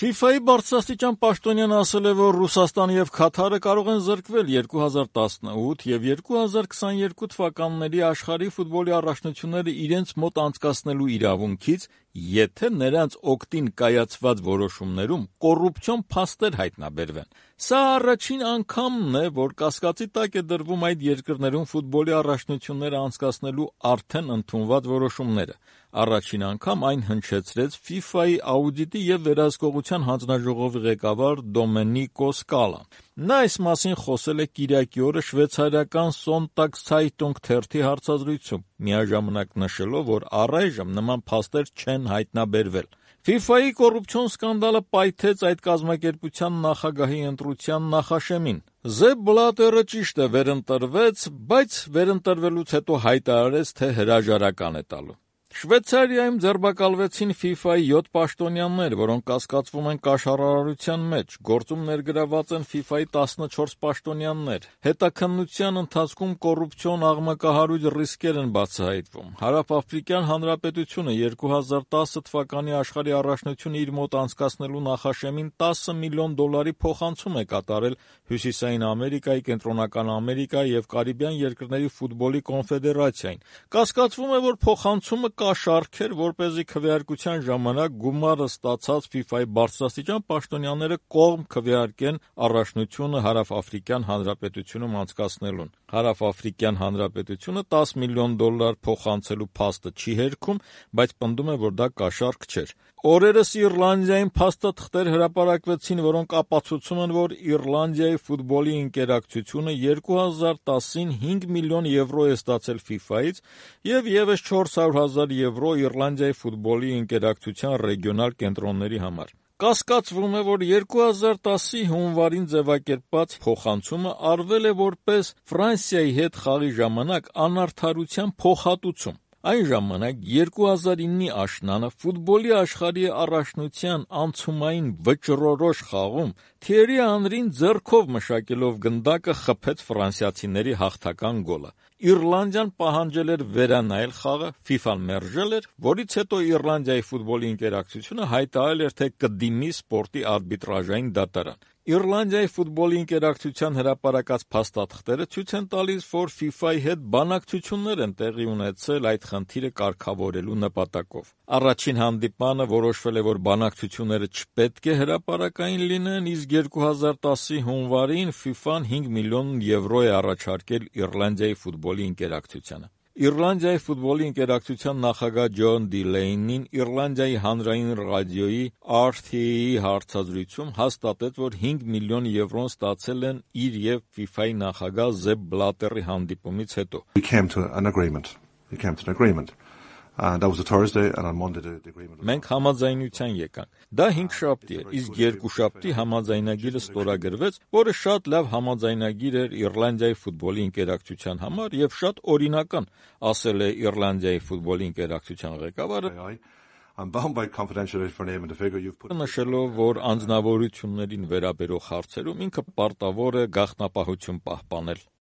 FIFA-ի բարձրաստիճան պաշտոնյան ասել է, որ Ռուսաստանը եւ Քաթարը կարող են զրկվել 2018 եւ 2022 թվականների աշխարհի ֆուտբոլի առաջնությունները իրենց մոտ անցկացնելու իրավունքից, եթե նրանց օգտին կայացված որոշումներում կոռուպցիոն փաստեր հայտնաբերվեն։ Սա առաջին անգամն է, որ կասկածի տակ է դրվում այդ երկրներում ֆուտբոլի առաջնությունները անցկացնելու արդեն ընդունված որոշումները։ Առաջին անգամ այն հնչեցրեց FIFA-ի աուդիտի եւ վերահսկողության հանձնաժողովի ղեկավար Դոմենիկո Սկալան։ Նա այս մասին խոսել է կիրակի օրը շվեյցարիական Sonntagszeitung թերթի հարցազրույցում, միաժամանակ նշելով, որ առայժմ նման փաստեր չեն հայտնաբերվել։ FIFA-ի կոռուպցիոն սկանդալը պայթեց այդ կազմակերպության նախագահի ընտրության նախաշեմին։ Զեփ Բլատերը ճիշտ է վերընտրվեց, բայց վերընտրվելուց հետո հայտարարեց, թե հրաժարական է տալու։ Շվեյցարիայում ձերբակալվեցին FIFA-ի 7 պաշտոնյաներ, որոնք կասկածվում են կաշառարարության մեջ, գործում ներգրավված են FIFA-ի 14 պաշտոնյաներ։ Հետաքննության ընթացքում կոռուպցիոն աղմկահարույց ռիսկեր են բացահայտվում։ Հարավաֆրիկյան Հանրապետությունը 2010 թվականի աշխարհի առաջնությունը իր մոտ անցկացնելու նախաշեմին $10 միլիոն փոխանցում է կատարել Հյուսիսային Ամերիկայի, Կենտրոնական Ամերիկայի եւ Կարիբյան երկրների ֆուտբոլի կոնֆեդերացիային։ Կասկածվում է, որ փոխանցումը կաշառք էր, որպեսզի քվեարկության ժամանակ գումարը ստացած FIFA-ի բարձրաստիճան պաշտոնյաները կողմ քվեարկեն առաջնությունը Հարավաֆրիկյան Հանրապետությունում անցկացնելուն։ Հարավաֆրիկյան Հանրապետությունը $10 միլիոն փոխանցելու փաստը չի հերքում, բայց պնդում է, որ դա կաշառք չէր։ Օրերս Իռլանդիայում փաստաթղթեր հրապարակվեցին, որոնք ապացուցում են, որ Իռլանդիայի ֆուտբոլի ընկերակցությունը 2010-ին €5 միլիոն է ստացել FIFA-ից եւ եւս €400,000 Իռլանդիայի ֆուտբոլի ընկերակցության ռեգիոնալ կենտրոնների համար։ Կասկածվում է, որ 2010-ի հունվարին ձևակերպված փոխանցումը արվել է որպես Ֆրանսիայի հետ խաղի ժամանակ անարդարության փոխհատուցում։ Այն ժամանակ 2009-ի աշնանը ֆուտբոլի աշխարհի առաջնության անցումային վճռորոշ խաղում Թիերի Անրին ձեռքով մշակելով գնդակը խփեց ֆրանսիացիների հաղթական գոլը։ Իռլանդիան պահանջել էր վերանայել խաղը, FIFA-ն մերժել էր, որից հետո Իռլանդիայի ֆուտբոլի ընկերակցությունը հայտարարել էր, թե կդիմի սպորտի արբիտրաժային դատարան։ Իռլանդիայի ֆուտբոլի ընկերակցության հրապարակած փաստաթղթերը ցույց են տալիս, որ FIFA-ի հետ բանակցություններ են տեղի ունեցել այդ խնդիրը կարգավորելու նպատակով։ Առաջին հանդիպանը որոշվել է, որ բանակցությունները չպետք է հրապարակային լինեն, իսկ 2010-ի հունվարին FIFA-ն €5 միլիոն է առաջարկել Իռլանդիայի ֆուտբոլի ընկերակցությանը։ Իռլանդիայի ֆուտբոլի ընկերակցության նախագահ Ջոն Դիլեյնին Իռլանդիայի հանրային ռադիոյի RTE-ի հարցազրույցում հաստատեց, որ €5 միլիոն ստացել են իր եւ FIFA-ի նախագահ Զեփ Բլատերի հանդիպումից հետո։ We came to an agreement. And that was a Thursday, and on Monday the agreement was... Մենք համաձայնության եկանք։ Դա 5 շաբթի էր, իսկ 2 շաբթի համաձայնագիրը ստորագրվեց, որը շատ լավ համաձայնագիր էր Իռլանդիայի ֆուտբոլի ընկերակցության համար եւ շատ օրինական, ասել է Իռլանդիայի ֆուտբոլի ընկերակցության ղեկավարը, I'm bound by confidentiality for name and the figure you've put... նշելով, որ անձնավորություններին վերաբերող հարցերում ինքը պարտավոր է գաղտնապահություն պահպանել։